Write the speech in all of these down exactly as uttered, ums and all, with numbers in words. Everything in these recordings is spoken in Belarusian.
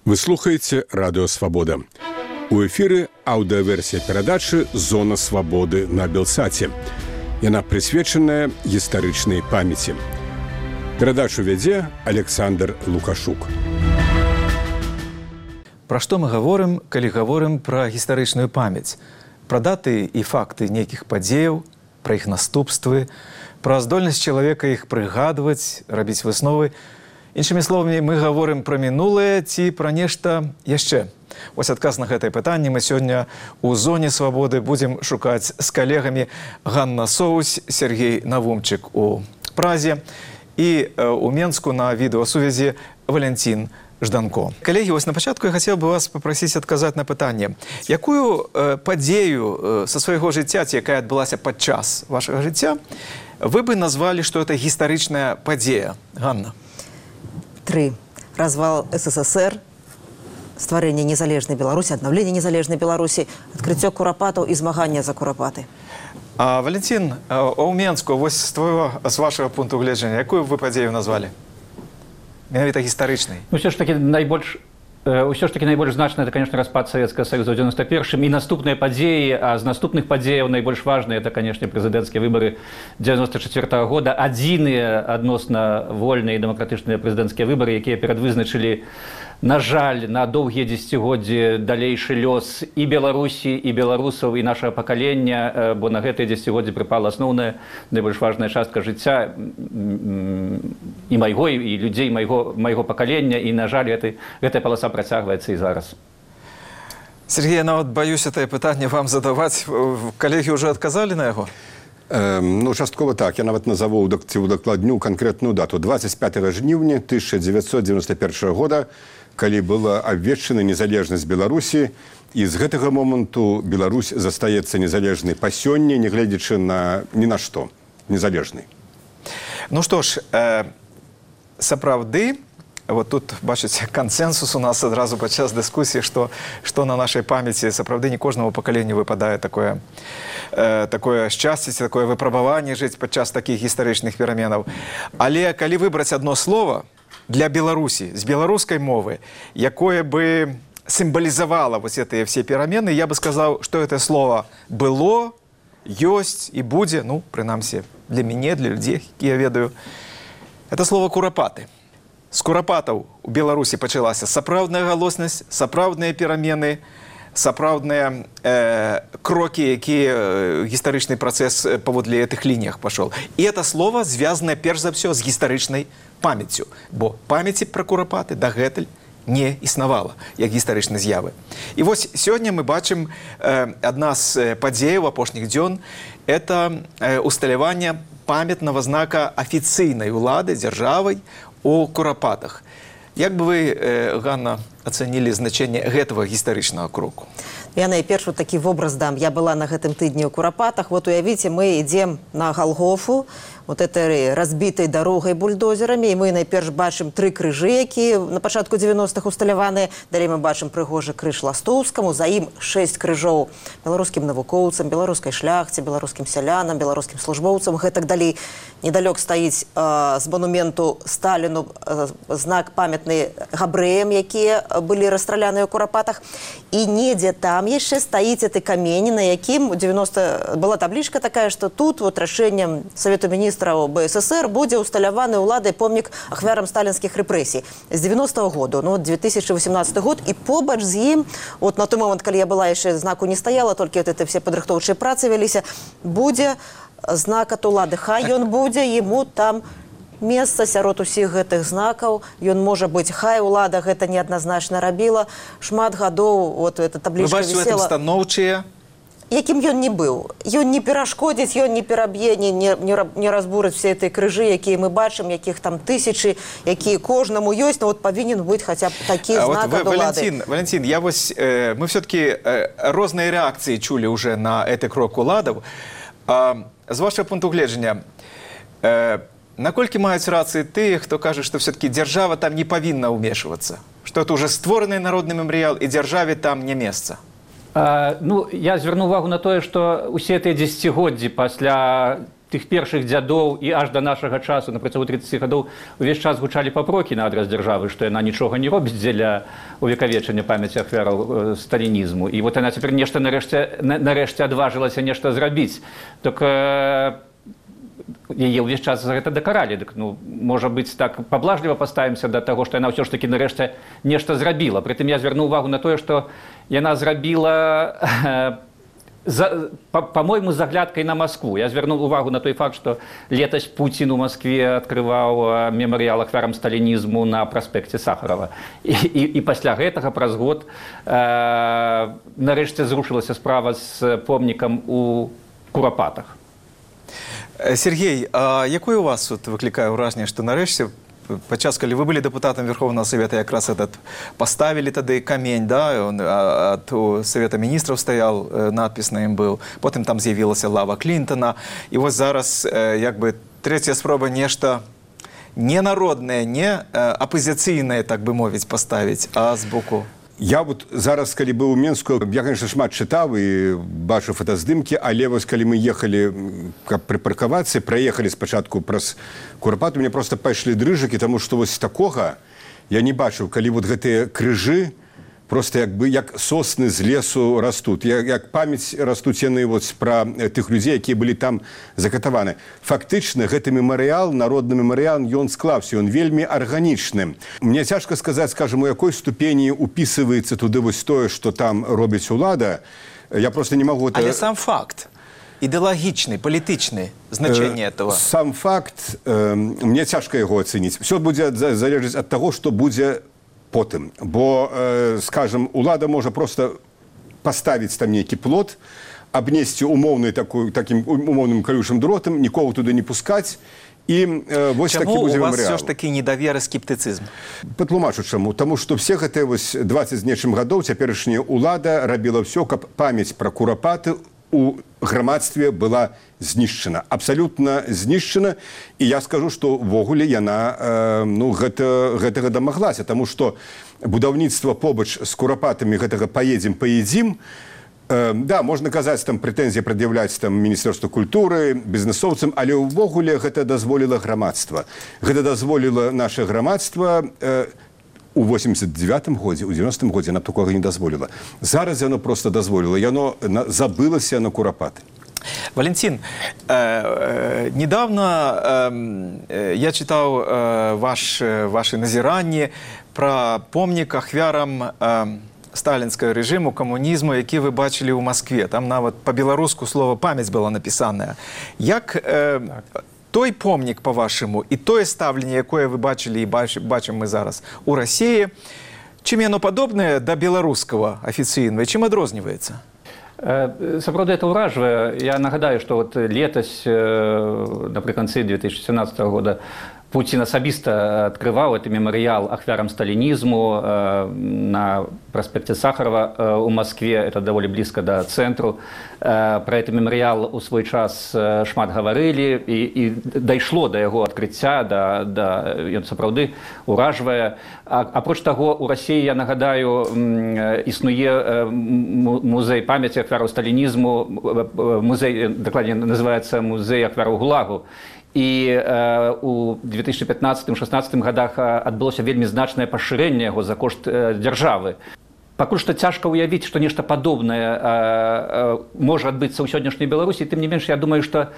Вы слухаеце радыё Свабода. У эфіры аўдыаверсія перадачы «Зона свабоды» на Белсаце. Яна прысвечаная гістарычнай памяці. Перадачу вядзе Александр Лукашук. Пра што мы гаворым, калі гаворым пра гістарычную памяць? Пра даты і факты нейкіх падзеяў, пра іх наступствы, пра здольнасць чалавека іх прыгадваць, рабіць высновы. Іншымі словамі, мы гаворым пра мінулае ці пра нешта яшчэ. Вось адказ на гэтае пытанне мы сёння ў зоне свабоды будзем шукаць з калегамі. Ганна Соусь, Сергей Навумчык у Празе і у Менску на відэасувязі Валянцін Жданко. Калегі, вось на пачатку я хацеў бы вас папрасіць адказаць на пытанне. Якую э, падзею э, са свайго жыцця, ці якая адбылася падчас вашага жыцця, вы бы назвалі, што это гістарычная падзея? Ганна. Три. Развал СССР, стварэнне незалежнай Беларусі, аднаўленне незалежнай Беларусі, адкрыццё курапатаў і змаганне за курапаты. А, Валентин, а ў Менску, вось з твоего, з вашего пункту гледжання, якую вы падзею назвалі? Менавіта гістарычнай. Ну, все ж таки найбольш Усё ж таки найбольш значна это, конечно, распад Советского Союза ў девяносто первом і наступныя падзеі, а з наступных падзеяў найбольш важныя это, конечно, прэзідэнцкія выбары девяносто четвёртого года, адзіныя адносна вольныя і дэмакратычныя прэзідэнцкія выбары, якія перадвызначылі, на жаль, на доўгія дзесяцігоддзі далейшы лёс і Беларусі, і беларусаў, і нашага пакалення, бо на гэтыя дзесяцігоддзі прыпала асноўная, найбольш важная частка жыцця і майго, і людзей майго, майго пакалення, і, на жаль, гэтай, гэтая паласа працягваецца і зараз. Сергей, я нават баюсь это пытанне вам задаваць. Калегі ўжо адказалі на яго? Эм, ну, часткова так. Я нават назову ці удакладню канкрэтную дату. двадцать пятого жніўня тысяча девятьсот девяносто первого года, калі была абвешчана незалежнасць Беларусі, і з гэтага моманту Беларусь застаецца незалежнай па сёння, не гледзячы на ні на што, незалежнай. Ну што ж, э, сапраўды, вот тут, бачыце, кансенсус у нас адразу падчас дыскусіі, што, што на нашай памяці сапраўды не кожнаму пакаленню выпадае такое, э, такое шчасце, такое выпрабаванне жыць падчас такіх гістарычных пераменаў. Але калі выбраць одно слово для Беларусі, з беларускай мовы, якое бы сімвалізавала вось гэтыя все перамены, я бы сказаў, што гэта слово было, ёсць і будзе, ну, прынамсі, для мяне, для людзей, які я ведаю, это слово курапаты. З курапатаў у Беларусі пачалася сапраўдная галоснасць, сапраўдныя перамены, сапраўдныя э, крокі, якія э, гістарычны працэс паводле гэтых лініях пашоў. І это слово звязанае перш за ўсё з гістарычнай памяццю, бо памяці пра курапаты дагэтуль не існавала, як гістарычнай з'явы. І вось сёння мы бачым э, адна з падзеяў апошніх дзён – это э, усталяванне памятнага знака афіцыйнай улады дзяржавай у курапатах. Як бы вы, э, Ганна, ацанілі значэнне гэтага гістарычнага кроку? Я найперш вот такі вобраз дам. Я была на гэтым тыдні ў курапатах. Вот уявіце, мы ідзем на Галгофу, вот этой разбітай дарогай бульдозерамі, і мы найперш бачым тры крыжы, якія на пачатку девяностых усталяваныя. Далей мы бачым прыгожы крыж Ластоўскаму, за ім шэсць крыжоў беларускім навукоўцам, беларускай шляхце, беларускім сялянам, беларускім службоўцам, гэтак далей. Недалёк стаіць э, з монументу Сталіну э, знак памятны габрэям, якія былі расстраляныя ў курапатах. І недзе там яшчэ стаіць гэты камень, на якім у девяносто была таблічка такая, што тут вот рашэннем Савету міністраў БССР будзе усталяваны ўладай помнік ахвярам сталінскіх рэпрэсій з девяностого года, ну, две тысячи восемнадцатый год, і побач з ім, вот на той момент, калі я была, яшчэ знаку не стаяла, толькі вот это все падрыхтоўчыя працы вяліся, будзе знак ад улады. Хай ён будзе, яму там месца сярод усіх гэтых знакаў, ён можа быць, хай улада гэта неадназначна рабіла, шмат гадоў, вот эта таблічка вісела. Вы бачыце, у гэтым станоўчыя? Якім ён не быў. Ён не перашкодзіць, ён не пераб'е, не, не, не разбурыць все этой крыжы, якія мы бачым, якіх там тысячы, якія кожнаму ёсць, но вот павінен быць хаця б такі знак ад улады. Валентин, Валентин, я вось, э, мы все-таки э, розныя рэакцыі чулі уже на гэты крок уладаў. Э, з вашего пункту гледжання, э, наколькі маюць рацыі тыя, хто кажа, што все-таки дзяржава там не павінна ўмешвацца, што это уже створаны народны мемарыял, і дзяржаве там не месца? А, ну, я звярну увагу на тое, што усе тыя дзесяцігоддзі пасля тых першых дзядоў і аж да нашага часу на працягу тридцати гадоў увесь час гучалі папрокі на адрас дзяржавы, што яна нічога не робіць дзеля увекавечання памяці ахвяраў сталінізму. І вот яна цяпер нешта нарэшце, нарэшце адважылася нешта зрабіць. Так яе ўвесь час за гэта дакаралі. Дык, ну, можа быць, так паблажліва паставімся да таго, што яна ўсё ж такі нарэшце нешта зрабіла. Прытым я звярну ўвагу на тое, што яна зрабіла За, по, по-моему, з аглядкай на Москву. Я звярнуў увагу на той факт, што летась Пуцін у Москве адкрываў мемарыял ахвярам сталінізму на праспекце Сахарова. І, і, і пасля гэтага праз год э, нарэшце зрушылася справа з помнікам у Курапатах. Сергей, а якое у вас тут выклікае ўражанне, што нарэшце падчас, калі вы былі дэпутатам Верховнага Совета, якраз этот паставілі тады камень, да, он ад Совета міністраў стаял, надпіс на ім быў, потым там з'явілася лава Клінтона, і вось зараз як бы трэцяя спроба нешта не народнае, не апазіцыйнае, так бы мовіць, паставіць, а з боку. Я вот зараз, калі быў у Менску, я, конечно, шмат чытаў і бачыў фотаздымкі, але вось калі мы ехалі, каб прыпаркавацца, праехалі спачатку праз Курапату, мне просто пайшлі дрыжыкі, таму што вось такога я не бачыў, калі вот гэтыя крыжы просто як бы як сосны з лесу растуць, як, як памяць растуць яны вот пра тых людзей, якія былі там закатаваны. Фактычна гэты мемарыял, народны мемарыял, ён склаўся, ён вельмі арганічны. Мне цяжка сказаць, скажем, у якой ступені упісываецца туды вось тое, што там робіць улада. Я просто не магу... Але сам факт, ідэалагічны, палітычны значэнне этого. Сам факт, э, мне цяжка яго ацэніць. Все будзе залежыць ад таго, што будзе потым. Бо, э, скажем, улада можа просто паставіць там нейкі плот, абнесці умоўны такой, таким умоўным калючым дротам, нікого туды не пускаць, і э, вось такі будзе мемарыял. Чаму у вас все ж такі недавер і скептыцызм? Патлумачу чаму. Таму што все гэтыя вось дваццаць з нечым гадоў цяперашняя улада рабіла ўсё, каб памяць пра Курапаты у грамадстве была знішчана, абсалютна знішчана, і я скажу, што ўвогуле яна э, ну, гэта, гэтага дамаглася, таму што будаўніцтва побач з Курапатамі гэтага паедзем, паедзім, э, да, можна казаць, там прэтэнзіі прад'яўляць там Міністэрству культуры, бізнесоўцам, але ўвогуле гэта дазволіла грамадства. Гэта дазволіла наше грамадства э, у восемьдесят девятым годзе, у девяностым годзе нам такога не дазволіла. Зараз яно просто дазволіла, яно забылася на Курапаты. Валентин, э, э, недавно э, я читал э, ваш, ваши назиранні про помнік ахвярам э, сталінскага режиму, камунізму, які вы бачили у Москве. Там нават по-беларуску слово «памяць» было написано. Як э, той помнік, по-вашему, і тое стаўленне, якое вы бачили і бачым мы зараз у России, чым яно падобнае да беларускага афіцыйнага, чым адрозніваецца? Сапраўды это ўражвае. Я нагадаю, што вот летась напрыканцы две тысячи семнадцатого года Путин асабіста открывал этот мемориал ахвярам сталинизму э, на проспекте Сахарова э, у Москве, это довольно близко до центру. Э, про этот мемориал у свой час э, шмат говорили, и, и дайшло до его открыцця, да, да, ён сапраўды уражвае. А, апроч таго, у России, я нагадаю, э, існуе э, музей памяти ахвяраў сталинизму, э, музей, докладнее называется музей ахвяраў ГУЛАГу. І э, у две тысячи пятнадцатым — две тысячи шестнадцатым годах адбылося вельмі значнае пашырэнне яго за кошт э, дзяржавы. Пакуль што цяжка ўявіць, што нешта падобнае э, э, можа адбыцца ў сённяшняй Беларусі, тым не менш, я думаю, што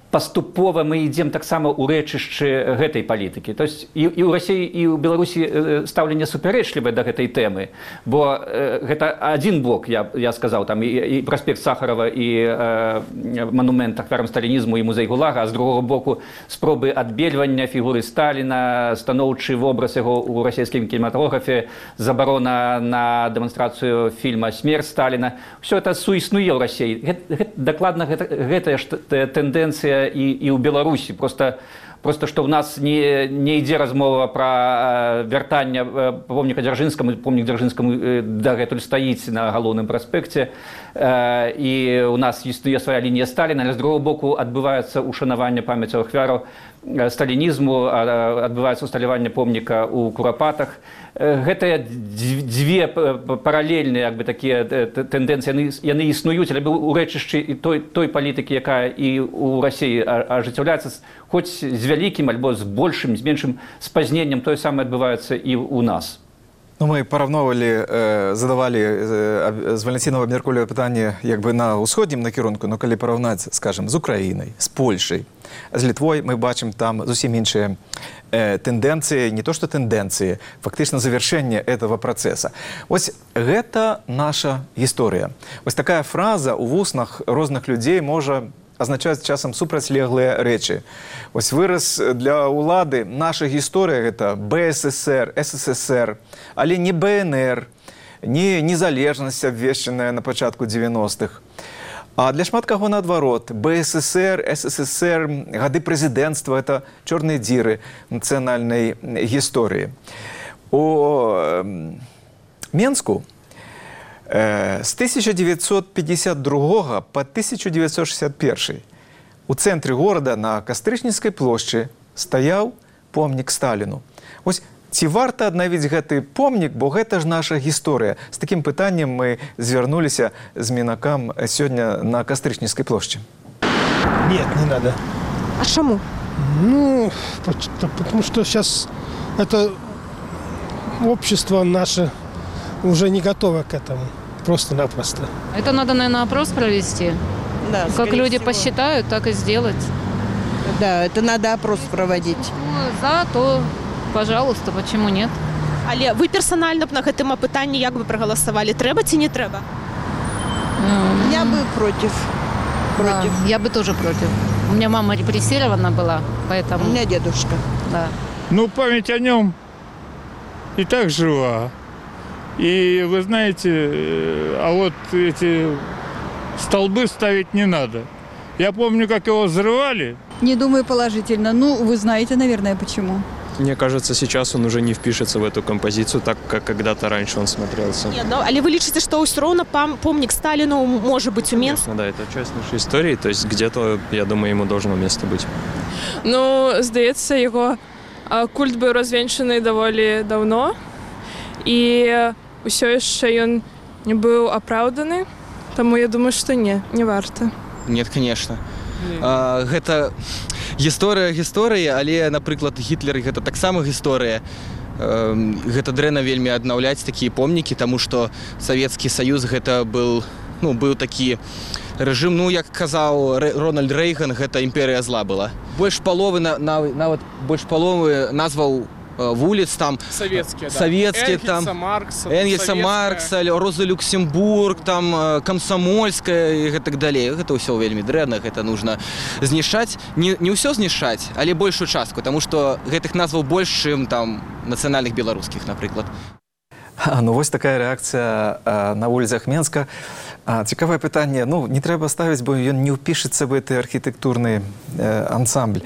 паступова мы ідзем таксама ў рэчышчы гэтай палітыкі. То есть і, і ў Расіі, і ў Беларусі стаўленне супярэчлівае да гэтай тэмы, бо э, гэта адзін бок, я, я сказаў, там і, і праспект Сахарова, і э, манумент ахвярам сталінізму, і музей ГУЛАГа, а з другого боку спробы адбельвання фігуры Сталіна, станоўчы вобраз яго ў расійскім кінематографе, забарона на дэманстрацыю фільма «Смерць Сталіна». Все это суіснуе ў Расіі. Гэта, гэта, дакладна гэта, гэтая ж тэндэнцыя і, і ў Беларусі. Просто просто што ў нас не, не ідзе размова пра вяртанне помніка Дзяржынскаму, помнік Дзяржынскаму дагэтуль стаіць на галоўным праспекце, і у нас існуе свая лінія Сталіна, але з другого боку адбываецца ушанаванне памяці ахвяраў сталінізму, адбываецца усталяванне помніка ў Курапатах. Гэтыя дзве паралельныя як бы, такія тэндэнцыі, яны, яны існуюць, але ў рэчышчы і той, той палітыкі, якая і ў Расіі ажыццяўляецца, хоць з вялікім альбо з большым, з меншым спазненнем, тое самае адбываецца і ў нас. Ну, мы параўноўвалі, э, задавалі э, з Валентинова абмяркоўвалі пытанне як бы на ўсходнім накірунку, но калі параўнаць, скажем, з Украінай, з Польшай, з Літвой, мы бачым там зусім іншыя э, тэндэнцыі, не то што тэндэнцыі, фактычна завяршэнне этого працэса. Вось гэта наша гісторыя. Вось такая фраза ў вуснах розных людзей можа азначаць часам супрацьлеглыя рэчы. Вось выраз для ўлады наша гісторыя гэта Бэ Эс Эс Эр, Эс Эс Эс Эр, але не Бэ Эн Эр, не незалежнасць абвешчаная на пачатку дзевяностых. А для шмат каго наадварот, Бэ Эс Эс Эр, Эс Эс Эс Эр, гады прэзідэнцтва – это чорныя дзіры нацыянальнай гісторыі. У Менску з тысяча девятьсот пятьдесят другога по тысяча девятьсот шестьдесят первый у цэнтры горада на Кастрычніцкай плошчы стаяў помнік Сталіну. Вось ці варта аднавіць гэты помнік, бо гэта ж наша гісторыя. З такім пытаннем мы звярнуліся з мінакам сёння на Кастрычніцкай плошчы. Нет, не надо. А чему? Ну, потому что сейчас это общество наше уже не готово к этому. Просто-напросто. Это надо, наверное, опрос провести. Да, как люди всего. посчитают, так и сделать. Да, это надо опрос проводить. Ну, за, то, пожалуйста, почему нет? Але ви персонально б на гэтым апытанні як бы прагаласавалі? Трэба ці не трэба? Я бы против. Против. Да, я бы тоже против. У меня мама репрессирована была, поэтому... У меня дедушка. Да. Ну, память о нем и так жива. И вы знаете, а вот эти столбы ставить не надо. Я помню, как его взрывали. Не думаю положительно. Ну, вы знаете, наверное, почему. Мне кажется, сейчас он уже не впишется в эту композицию, так как когда-то раньше он смотрелся. Ні, ну, але ви лічыце, што ўсё роўна помнік Сталіну можа быць у Менску? Конечно, да, это часть нашей истории, то есть где-то, я думаю, ему должно место быть. Ну, здається, його культ був розвінчений доволі давно, і усе ще він не був оправданий, тому я думаю, що ні, не варто. Нет, конечно. А, гэта гісторыя гісторыі, але, напрыклад, Гітлер гэта таксама гісторыя. А, гэта дрэнна вельмі аднаўляць такія помнікі, таму што Савецкі Саюз гэта был, ну, быў такі рэжым, ну, як казаў Рональд Рэйган, гэта імперыя зла была. Больш паловы, на, на, нават больш паловы назваў вуліц там Советские, да. Советские, Энгельса, там Маркса, Энгельса, Маркса, Роза Люксембург, там Комсомольская и так далее. Это все вельмі дрэнна, это нужно знішаць. Не, не ўсё знішаць, але большую частку, потому что гэтых назваў больш, чым там нацыянальных беларускіх, напрыклад. А, ну вось такая рэакцыя а, на вуліцах Менска. А, цікавае пытанне, ну не трэба ставіць, бо ён не ўпішыцца в гэты архітэктурны э, ансамбль.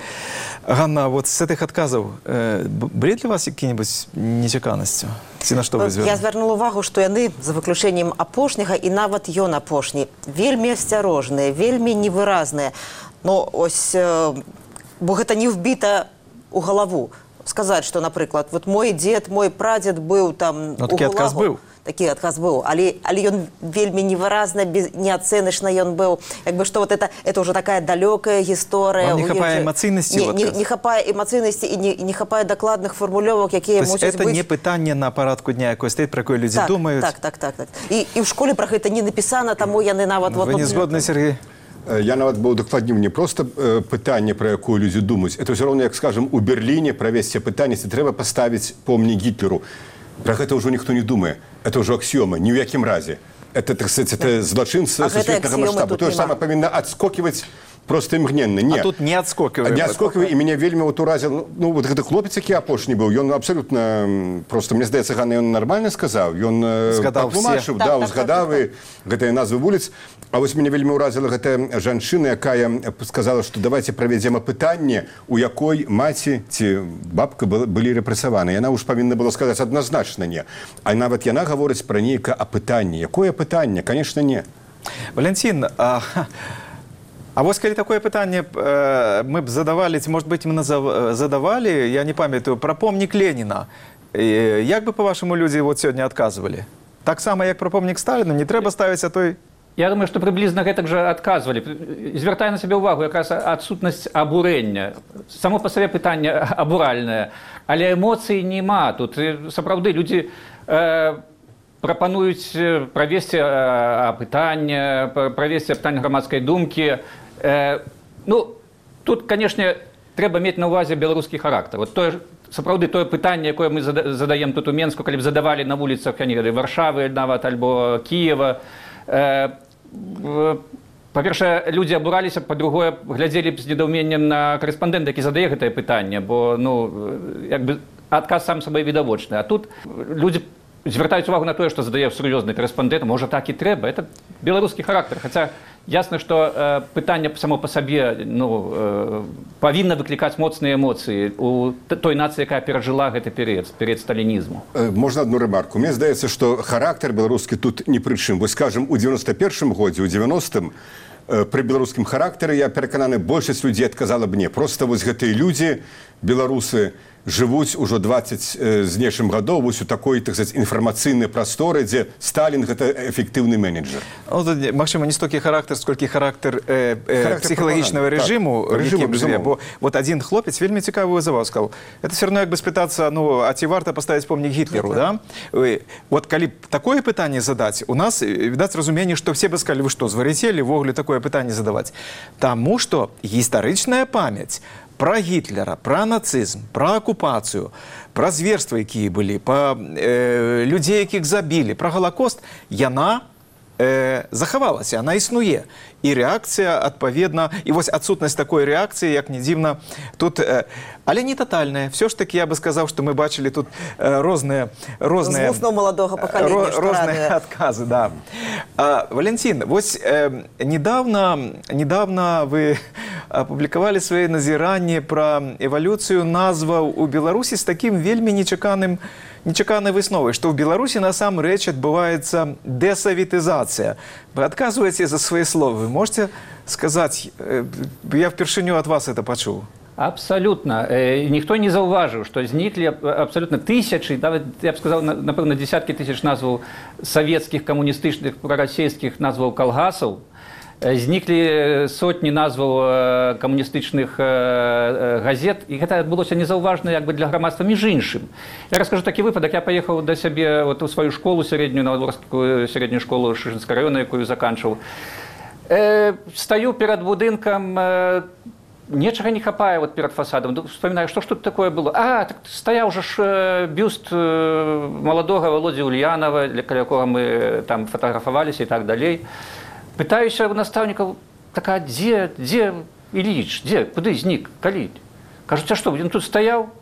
Ганна, вот з гэтых адказаў э, былі для вас якія-небудзь нечаканасці? Ці на што вы звярнулі? Я звярнула увагу, што яны, за выключэннем апошняга, і нават ён апошні, вельмі асцярожныя, вельмі невыразныя. Ну, ось, э, бо гэта не вбіта ў галаву. Сказаць, што, напрыклад, вот мой дзед, мой прадзед быў там ну, такі адказ быў. Такі адказ быў, але, але ён вельмі невыразна, без, неацэначна ён быў. Як бы, што вот это, это уже такая далёкая гісторыя. Вам не хапае эмацыйнасці? Не, не, не хапае эмацыйнасці і не, не хапае дакладных формулёвак, якія мусяць быць... быць... это не пытанне на парадку дня, якой стаіць, пра якое людзі так, думаюць? Так, так, так, так. І, і ў школе пра гэта не напісана, таму яны нават... Ну, вы вот, не згодны, Сергей? Я нават быў дакладнім не проста э, пытанне, пра якую людзі думаюць. Это ўсё роўна, як, скажем, у Берліне правесці пытанне, ці трэба паставіць помнік Гітлеру. Пра гэта ўжо ніхто не думае. Это ўжо аксіёма, ні ў якім разе. Это, так сказать, это злачынца сусветнага маштабу. Тое ж самае павінна адскоківаць просто імгненна. Не. А тут не адскокиваем. Не адскокиваем, і мяне вельмі вот уразил, ну, вот гэты хлопец, які апошні быў, ён абсолютно, просто, мне здаецца, Ганна, ён нармальна сказаў, ён патлумачыў, да, узгадаў і гэтыя назвы вуліц. А вось мяне вельмі уразила гэтая жанчына, якая сказала, што давайте правядзем апытанне, у якой маці ці бабка былі рэпрэсаваны. Яна ўж павінна была сказаць адназначна не. А нават яна гаворыць пра нейкае апытанне. Якое апытанне? Конечно, не. Валентин, а, а вось калі такое пытанне э, мы б задавалі, ці, может быть, мы назав... задавалі, я не памятаю, пра помнік Леніна. І, як бы, по-вашаму, людзі вот сёння адказвалі? Так само, як пра помнік Сталіна, не трэба ставіць, а той... Я думаю, што прыблізна гэтак жа адказвалі. Звяртаю на сябе ўвагу, якраз адсутнасць абурэння. Само па сабе пытанне абуральнае, але эмоцый няма. Тут сапраўды людзі э, прапануюць правесці э, апытанне, правесці апытанне грамадскай думкі. Э, ну, тут, канешне, трэба мець на ўвазе беларускі характар. Вот тое, сапраўды тое пытанне, якое мы задаем тут у Менску, калі б задавалі на вуліцах, я не ведаю, Варшавы нават альбо Кіева, па-першае, людзі абураліся, па-другое, глядзелі б з недаўменнем на карэспандэнта, які задае гэтае пытанне, бо, ну, як бы адказ сам сабой відавочны. А тут людзі звяртаюць увагу на тое, што задае сур'ёзны карэспандэнт, можа, так і трэба. Это беларускі характар. Хаця ясна, што э, пытанне само па сабе, ну, э, павінна выклікаць моцныя эмоцыі у той нацыі, якая перажыла гэты перыяд, перыяд сталінізму. Можна одну ремарку. Мне здаецца, што характар беларускі тут ні пры чым. Вось, скажем, у девяносто першым годзе, у девяностым, э, пры беларускім характары, я перакананы, большасць людзей адказала б не. Просто вось гэтыя людзі, беларусы, жывуць ужо двадцать з нечым гадоў вось у такой, так сказать, інфармацыйнай прасторы, дзе Сталін гэта эфектыўны менеджер. Ну, магчыма, не столькі характар, сколькі характар, э, э, псіхалагічнага рэжыму, так, рэжыму, жыве. Бо вот один хлопец вельмі цікавую заяву сказал. Это все равно як бы спытацца, ну, а ці варта паставіць помнік Гітлеру, да? Да? Вот калі такое пытанне задаць, у нас, відаць, разуменне, што все бы сказали, вы што, звар'яцелі ввогуле такое пытанне задаваць? Таму што гістарычная памяць про Гітлера, про нацызм, про акупацыю, про зверства, якія былі, про э, людзей, якіх забілі, про Галакост, яна э, захавалася, яна існуе. І рэакцыя, адпаведна, і вось адсутнасць такой рэакцыі, як не дзіўна, тут, э, але не тотальная. Все ж таки, я бы сказаў, што мы бачылі тут э, розныя, розныя, маладога пакалення, розныя адказы. Да. А, Валентин, вось э, недавно, недавно вы апублікавалі свае назіранні пра эвалюцыю назваў у Беларусі з такім вельмі нечаканым нечаканай высновай, што ў Беларусі насамрэч адбываецца дэсавітызацыя. Вы адказваеце за свае словы. Вы можете сказаць, я впершыню ад вас это пачуў? Абсолютно. Ніхто не заўважыў, што зніклі абсолютно тысячы, нават, я б сказаў, напэўна, десяткі тысяч назваў савецкіх, камуністычных, прарасійскіх назваў калгасаў, зніклі сотні назваў камуністычных газет, і гэта адбылося незаўважна як бы для грамадства між іншым. Я раскажу такі выпадак. Я паехаў да сябе вот у сваю школу сярэднюю, Новадворскую сярэднюю школу Шышынскага раёна, якую заканчваў. Э, стаю перад будынкам, э, нечага не хапае вот перад фасадам. Вспоминаю, што ж тут такое было? А, так стаяў жа ж бюст э, маладога Володзі Ульянова, для якога мы там фатаграфаваліся і так далей. Пытаюся у настаўнікаў, так, а дзе, дзе Іліч, дзе, куды знік, калі? Кажуць, а што, ён тут стаяў?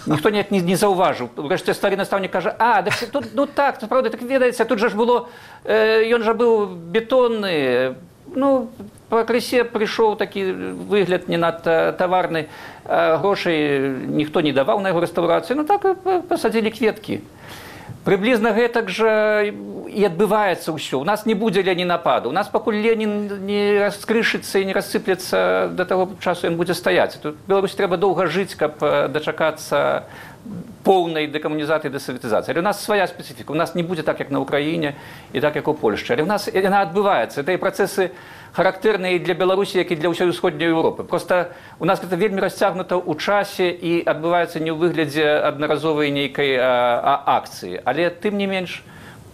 Ніхто не, не, не заўважыў. Урэшце стары настаўнік кажа, а, так, тут, ну так, правда, так ведаеце, тут жа ж было, э, ён жа быў бетонны, ну, пакрысе прыйшоў такі выгляд не надта таварны, а грошай ніхто не даваў на яго рэстаўрацыю, ну так пасадзілі кветкі. Прыблізна гэтак жа і адбываецца ўсё. У нас не будзе ленінападу. У нас пакуль Ленін не раскрышыцца і не рассыплецца, да таго часу ён будзе стаяць. Тут Беларусі трэба доўга жыць, каб дачакацца поўнай дэкамунізацыі і дэсавітызацыі. Але у нас свая спецыфіка. У нас не будзе так, як на Украіне і так, як у Польшчы. Але у нас яна адбываецца. Гэта і працэсы характэрныя для Беларусі, як і для ўсёй усходняй Еўропы. Проста у нас гэта вельмі расцягнута ў часе і адбываецца не ў выглядзе аднаразовай нейкай а, а, акцыі. Але тым не менш,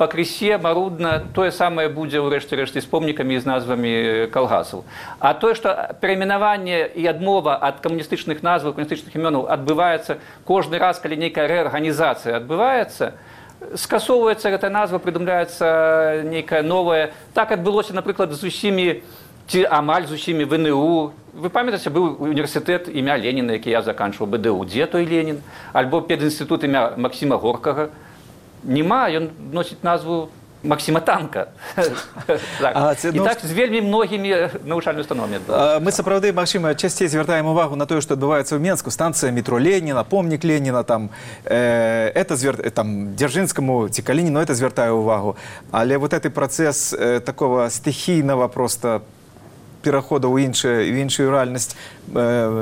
пакрысе, марудна, тое самае будзе ўрэшце рэшце з помнікамі і з назвамі калгасаў. А тое, што перайменаванне і адмова ад камуністычных назваў, камуністычных імёнаў адбываецца кожны раз, калі нейкая рэарганізацыя адбываецца, скасоўваецца гэта назва, прыдумляецца нейкая новая. Так адбылося, напрыклад, з усімі ці амаль з усімі в эн э у. Вы памятаеце, быў універсітэт імя Леніна, які я заканчваў бэ дэ у. Дзе той Ленін? Альбо педінстытут імя Максіма Горкага. Нема, ён носіць назву Максима Танка. І так з вельмі многімі навучальнымі установамі. Мы сапраўды, магчыма, часцей звяртаем увагу на тое, што адбываецца ў Менску. Станцыя метро Леніна, помнік Леніна, там, это там, Дзяржынскаму ці Калініну, это звяртаю увагу. Але вот гэты працэс такого стыхійнага просто перахода ў іншую рэальнасць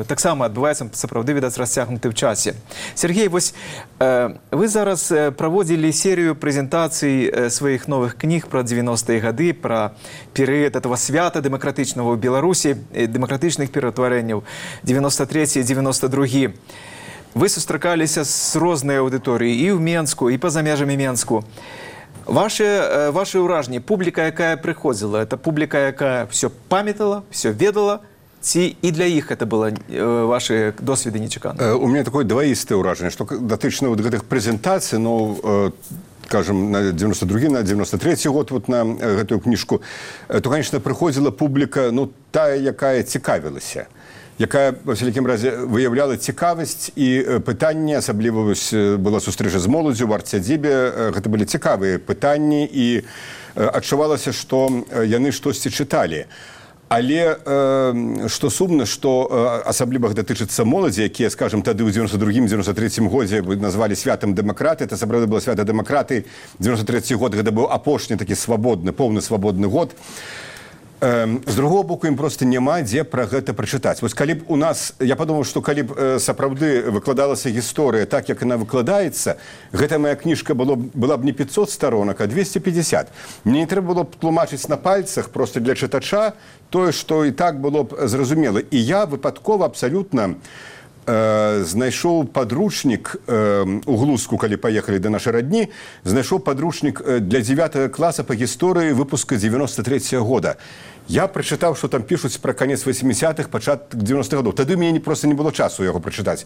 таксама адбываецца, сапраўды, відаць, расцягнуты ў часе. Сергей, вось вы зараз праводзілі серыю прэзентацый сваіх новых кніг пра дзевяностыя гады, пра перыяд этого свята дэмакратычнага ў Беларусі, дэмакратычных пераўтварэнняў дзевяносто трэці і дзевяносто другі. Вы сустракаліся з рознай аўдыторыяй і ў Менску, і па-за межамі Менску. Ваши, ваши ўражанні, публіка, якая прыходзіла, это публіка, якая все памятала, все ведала, ці і для іх это было ваши досведы нечаканыя? У меня такое двоістае ўражанне, што датычна вот гэтых прэзентацый, ну, скажем, на девяносто другі, на девяносто трэці год вот на гэтую кніжку, то, конечно, прыходзіла публіка, ну, тая, якая цікавілася, якая, во всякім разе, выяўляла цікавасць і пытанні, асабліва была сустрэча з моладзю ў арт-сядзібе, гэта былі цікавыя пытанні і адчувалася, што яны штосьці чыталі. Але што сумна, што асабліва гэта тычыцца моладзі, якія, скажем, тады ў девяносто другім девяносто трэцім годзе назвалі святам дэмакраты, это сапраўды было свята дэмакраты, девяносто трэці год гэта быў апошні такі свабодны, поўны свабодны год. З другого боку, ім проста няма дзе пра гэта прачытаць. Вось калі б у нас, я падумаў, што калі б сапраўды выкладалася гісторыя так, як яна выкладаецца, гэта моя кніжка была б не пятьсот сторонак, а двести пятьдесят. Мне не трэба было б тлумачыць на пальцах проста для чытача тое, што і так было б зразумела. І я выпадкова абсалютна знайшоў падручнік у Глузку, калі паехалі да нашай радні, знайшоў падручнік для дзевятага класа па гісторыі выпуска девяносто трэцяга года. Я прачытаў, што там пішуць пра канец восьмидесятых, пачатак девяностых гадоў. Тады мне проста не было часу яго прачытаць.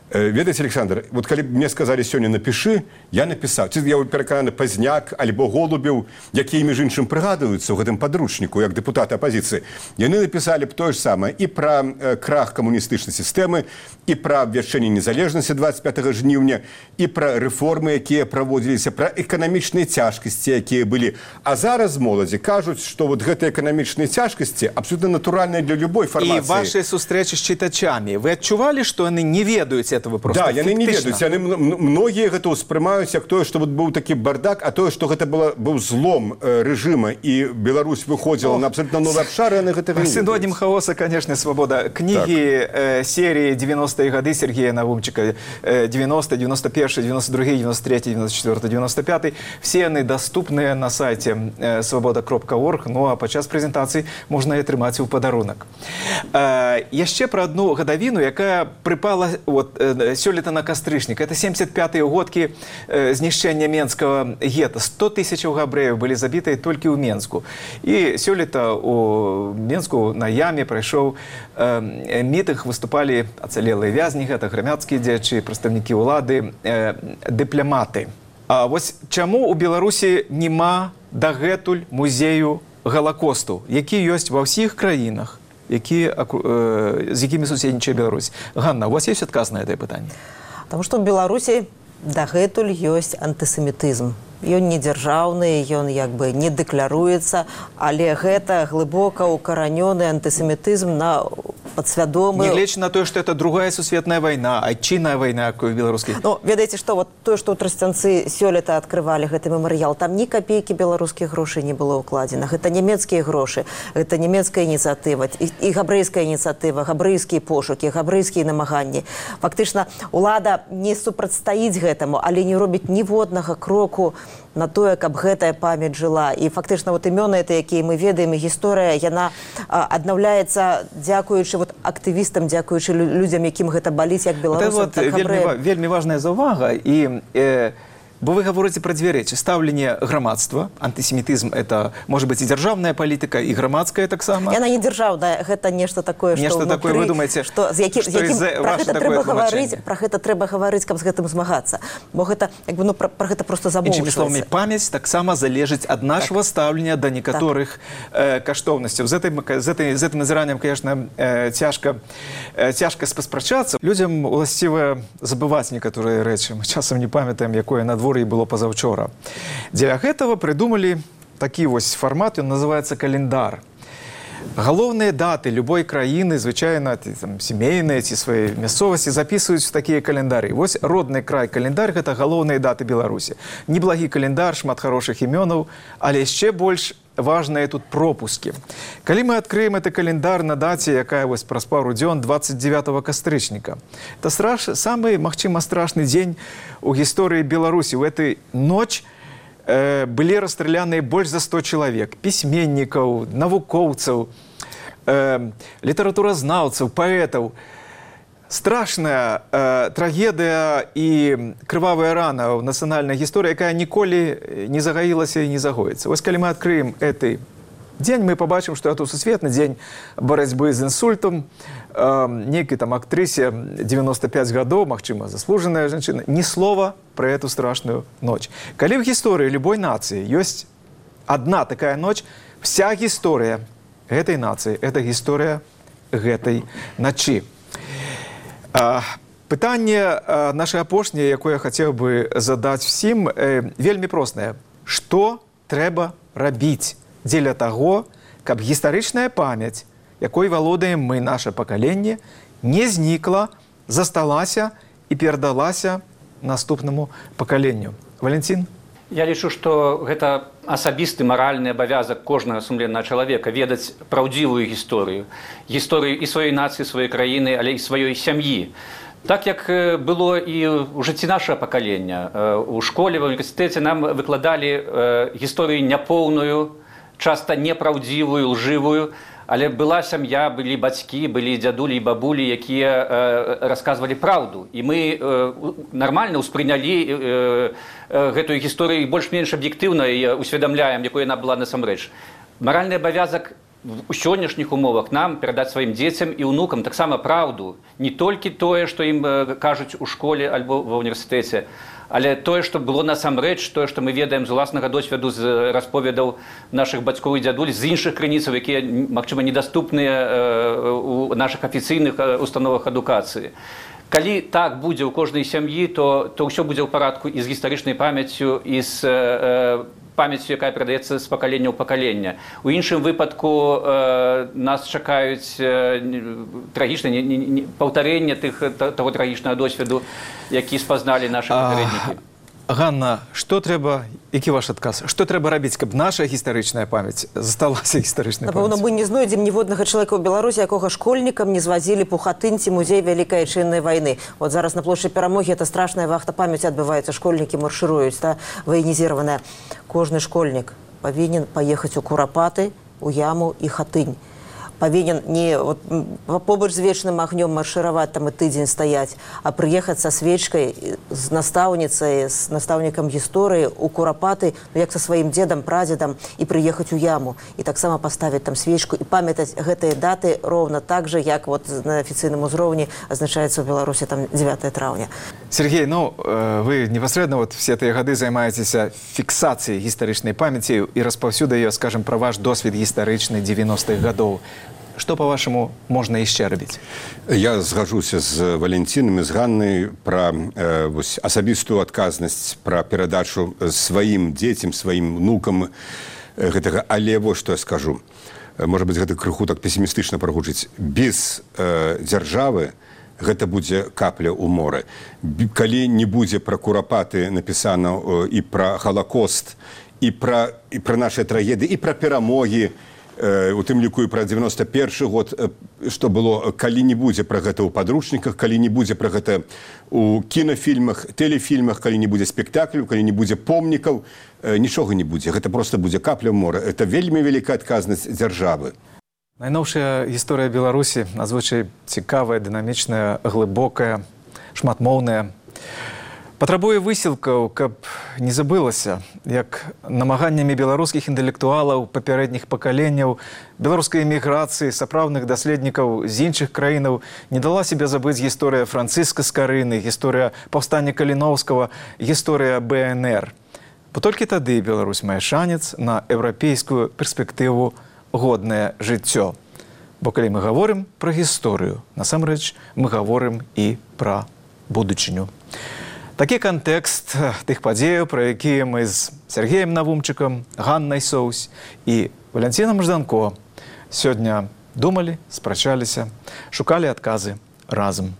Ведаеце, Александр, вот калі б мне сказалі сёння напішы, я напісаў. Ці я перакананы Пазняк альбо Голубеў, якія, між іншым, прыгадваюцца ў гэтым падручніку, як дэпутаты апазіцыі. Яны напісалі б тое ж самае і пра крах камуністычнай сістэмы, і пра абвяшчэнне незалежнасці двадцать пятага жніўня, і пра рэформы, якія праводзіліся, пра эканамічныя цяжкасці, якія былі. А зараз моладзі кажуць, што вот гэтыя эканамічныя цяжкасці абсолютно натуральныя для любой фармацыі. І вашыя сустрэчы з чытачамі, вы адчувалі, што яны не ведаюць этого просто да, яны не фіктычна. ведаюць, яны многія гэта ўспрымаюць як тое, што вот быў такі бардак, а тое, што гэта было, быў злом рэжыма і Беларусь выходзіла на абсолютно новы абшар, яны гэта не ведаюць. Синонім хаоса, конечно, свобода. Кнігі так. серії девяностые гады Сергея Навумчика, девяносто, девяносто первый, девяносто другой, девяносто третий, девяносто четвёртый, девяносто пятый, все яны доступныя на сайце свобода кропка орг, ну а падчас прэзентацыі можна і атрымаць у падарунак. Яшчэ пра адну гадавіну, якая прыпала вот сёлета на кастрычнік. Это семьдесят пятые годкі знішчэння Менскага гета. сто тысяч габрэяў былі забітыя толькі ў Менску. І сёлета у Менску на яме прайшоў э, мітынг, выступалі ацалелыя вязні, гэта грамадскія дзеячы, прадстаўнікі ўлады, э, дыпламаты. А вось чаму ў Беларусі няма дагэтуль музею Галакосту, які ёсць ва ўсіх краінах, які, э, з якімі суседнічае Беларусь? Ганна, у вас есть адказ на гэтае пытанне? Таму што ў Беларусі дагэтуль ёсць антысемітызм. Ён не дзяржаўны, ён як бы не дэкляруецца, але гэта глыбока укаранёны антысемітызм на падсвядомы... Нягледзячы на тое, што это другая сусветная вайна, айчынная вайна, якую беларускі. Ну, ведаеце, што вот тое, што ў Трасцянцы сёлета адкрывалі гэты мемарыял, там ні капейкі беларускіх грошай не было ўкладзена. Гэта нямецкія грошы, гэта нямецкая ініцыятыва, і, і габрэйская ініцыятыва, габрэйскія пошукі, габрэйскія намаганні. Фактычна, улада не супрацьстаіць гэтаму, але не робіць ніводнага кроку на тое, каб гэтая памяць жыла. І фактычна вот імёны, якія мы ведаем, і гісторыя, яна а, аднаўляецца дзякуючы вот актывістам, дзякуючы людзям, якім гэта баліць, як беларусам, вот так вельмі, вельмі важная заўвага. І э, Бо вы говорите про две речи. Ставление громадства, антисемитизм – это, может быть, и державная политика, и громадская так само. И она не державная, это нечто такое, что нечто внутри, такое, вы думаете, что, з яким, что яким, из-за про ваше гэта такое трэба тлумачение? гаварыць, про гэта трэба гаварыць, каб з гэтым змагацца. Бо гэта, як бы, ну, про, про гэта просто Іншымі словамі, замоўчваецца. памяць таксама залежыць ад нашего так. стаўлення да некаторых так. э, каштоўнасцяў. З гэтым, з гэтым, з гэтым назіраннем, конечно, э, цяжка, э, цяжка паспрачацца. Людзям уласціва забываць некаторыя рэчы. Мы часам не памятаем, якое надвор'е было пазаўчора. Дзеля гэтага прыдумалі такі вось фармат, ён называецца календар. Галоўныя даты любой краіны, звычайна там, сямейныя ці свае мясцовасці запісваюць у такія календары. Вось родны край календар – гэта галоўныя даты Беларусі. Неблагі календар, шмат хорошых імёнаў, але яшчэ больш важныя тут пропускі. Калі мы адкрыем гэты календар на даце, якая вось праз пару дзён двадцать девятого кастрычніка, это страш... самы, магчыма, страшны дзень у гісторыі Беларусі. У этой ноч э, былі расстраляныя больш за сто чалавек, пісьменнікаў, навукоўцаў, э, літаратуразнаўцаў, паэтаў. Страшная э, трагедыя і крывавая рана ў нацыянальнай гісторыі, якая ніколі не загаілася і не загоіцца. Вось калі мы адкрыем гэты дзень, мы пабачым, што это сусветны дзень барацьбы з інсультам. Э, нейкай там актрысе девяносто пять гадоў, магчыма, заслужаная жанчына, ні слова пра эту страшную ноч. Калі ў гісторыі любой нацыі ёсць адна такая ноч, вся гісторыя гэтай нацыі – это гісторыя гэтай начы. А, пытанне а, наше апошняе, якое я хацеў бы задаць всім, э, вельмі простае. Што трэба рабіць дзеля таго, каб гістарычная памяць, якой валодаем мы, наше пакаленне, не знікла, засталася і перадалася наступнаму пакаленню? Валентин? Я лічу, што гэта асабісты маральны абавязак кожнага сумленнага чалавека ведаць праўдзівую гісторыю. Гісторыю і сваёй нацыі, сваёй краіны, але і сваёй сям'і. Так, як было і ў жыцці нашага пакалення. У школе, ва універсітэце нам выкладалі гісторыю няпоўную, часта непраўдзівую, лжывую, але была сям'я, былі бацькі, былі дзядулі і бабулі, якія э, расказвалі праўду. І мы э, нармальна ўспрынялі э, э, гэтую гісторыю больш-менш аб'ектыўна і усведамляем, якой яна была насамрэч. Маральны абавязак у сённяшніх умовах нам перадаць сваім дзецям і ўнукам таксама праўду. Не толькі тое, што ім э, кажуць у школе альбо ва універсітэце, але тое, што было насамрэч, тое, што мы ведаем з уласнага досведу, з расповедаў нашых бацькоў і дзядуль, з іншых крыніцаў, якія, магчыма, недаступныя у нашых афіцыйных установах адукацыі. Калі так будзе ў кожнай сям'і, то, то ўсё будзе ў парадку і з гістарычнай памяццю, і з э, памяццю, якая перадаецца з пакалення ў пакалення. У іншым выпадку э, нас чакаюць э, трагічнае не, не, не, паўтарэнне тых, таго трагічнага досведу, які спазналі нашы папярэднікі. Ганна, што трэба, які ваш адказ? Што трэба рабіць, каб наша гістарычная памяць засталася гістарычнай памяццю? Напэўна, мы не знойдзем ніводнага чалавека ў Беларусі, якога школьнікам не звазілі б у Хатынь ці музей Вялікай Айчыннай вайны. Вот зараз на плошчы Перамогі это страшная вахта памяці адбываецца, школьнікі маршыруюць, та, ваенізіраваная. Кожны школьнік павінен паехаць у Курапаты, у Яму і Хатынь. Павінен не вот, побач з вечным агнём маршыраваць там і тыдзень стаяць, а прыехаць са свечкай з настаўніцай, з настаўнікам гісторыі у Курапаты, ну, як са сваім дзедам, прадзедам, і прыехаць у Яму, і таксама паставіць там свечку і памятаць гэтыя даты роўна так жа, як вот на афіцыйным узроўні азначаецца ў Беларусі там дзевятое траўня. Сергей, ну, вы непасрэдна вот все тыя гады займаецеся фіксацыяй гістарычнай памяці і распаўсюдай ее, скажем, пра ваш досвед гістарычны девяностых гадоў. Што, па-вашаму, можна яшчэ рабіць? Я згаджуся з Валентинам і з Ганнай пра э, вось, асабістую адказнасць, пра перадачу сваім дзецям, сваім внукам гэтага. Але вось што я скажу. Можа быць, гэта крыху так песімістычна прагучыць. Без э, дзяржавы гэта будзе капля ў моры. Калі не будзе пра Курапаты напісана э, і пра Халакост, і пра, і пра нашы трагедыі, і пра перамогі, у тым ліку і пра девяносто першы год, што было, калі не будзе пра гэта ў падручніках, калі не будзе пра гэта ў кінафільмах, тэлефільмах, калі не будзе спектакляў, калі не будзе помнікаў, нічога не будзе. Гэта проста будзе капля ў мора. Это вельмі вялікая адказнасць дзяржавы. Найноўшая гісторыя Беларусі надзвычай цікавая, дынамічная, глыбокая, шматмоўная. Патрабуе высілкаў, каб не забылася, як намаганнямі беларускіх інтэлектуалаў папярэдніх пакаленняў, беларускай эміграцыі, сапраўдных даследнікаў з іншых краінаў не дала себе забыць гісторыя Францыска Скарыны, гісторыя паўстання Каліноўскага, гісторыя бэ эн эр. Бо толькі тады Беларусь мае шанец на еўрапейскую перспектыву годнае жыццё. Бо калі мы гаворым пра гісторыю, насамрэч мы гаворым і пра будучыню. Такі кантэкст тых падзеяў, пра якія мы з Сергеем Навумчыкам, Ганнай Соўсь і Валянцінам Жданко сёння думалі, спрачаліся, шукалі адказы разам.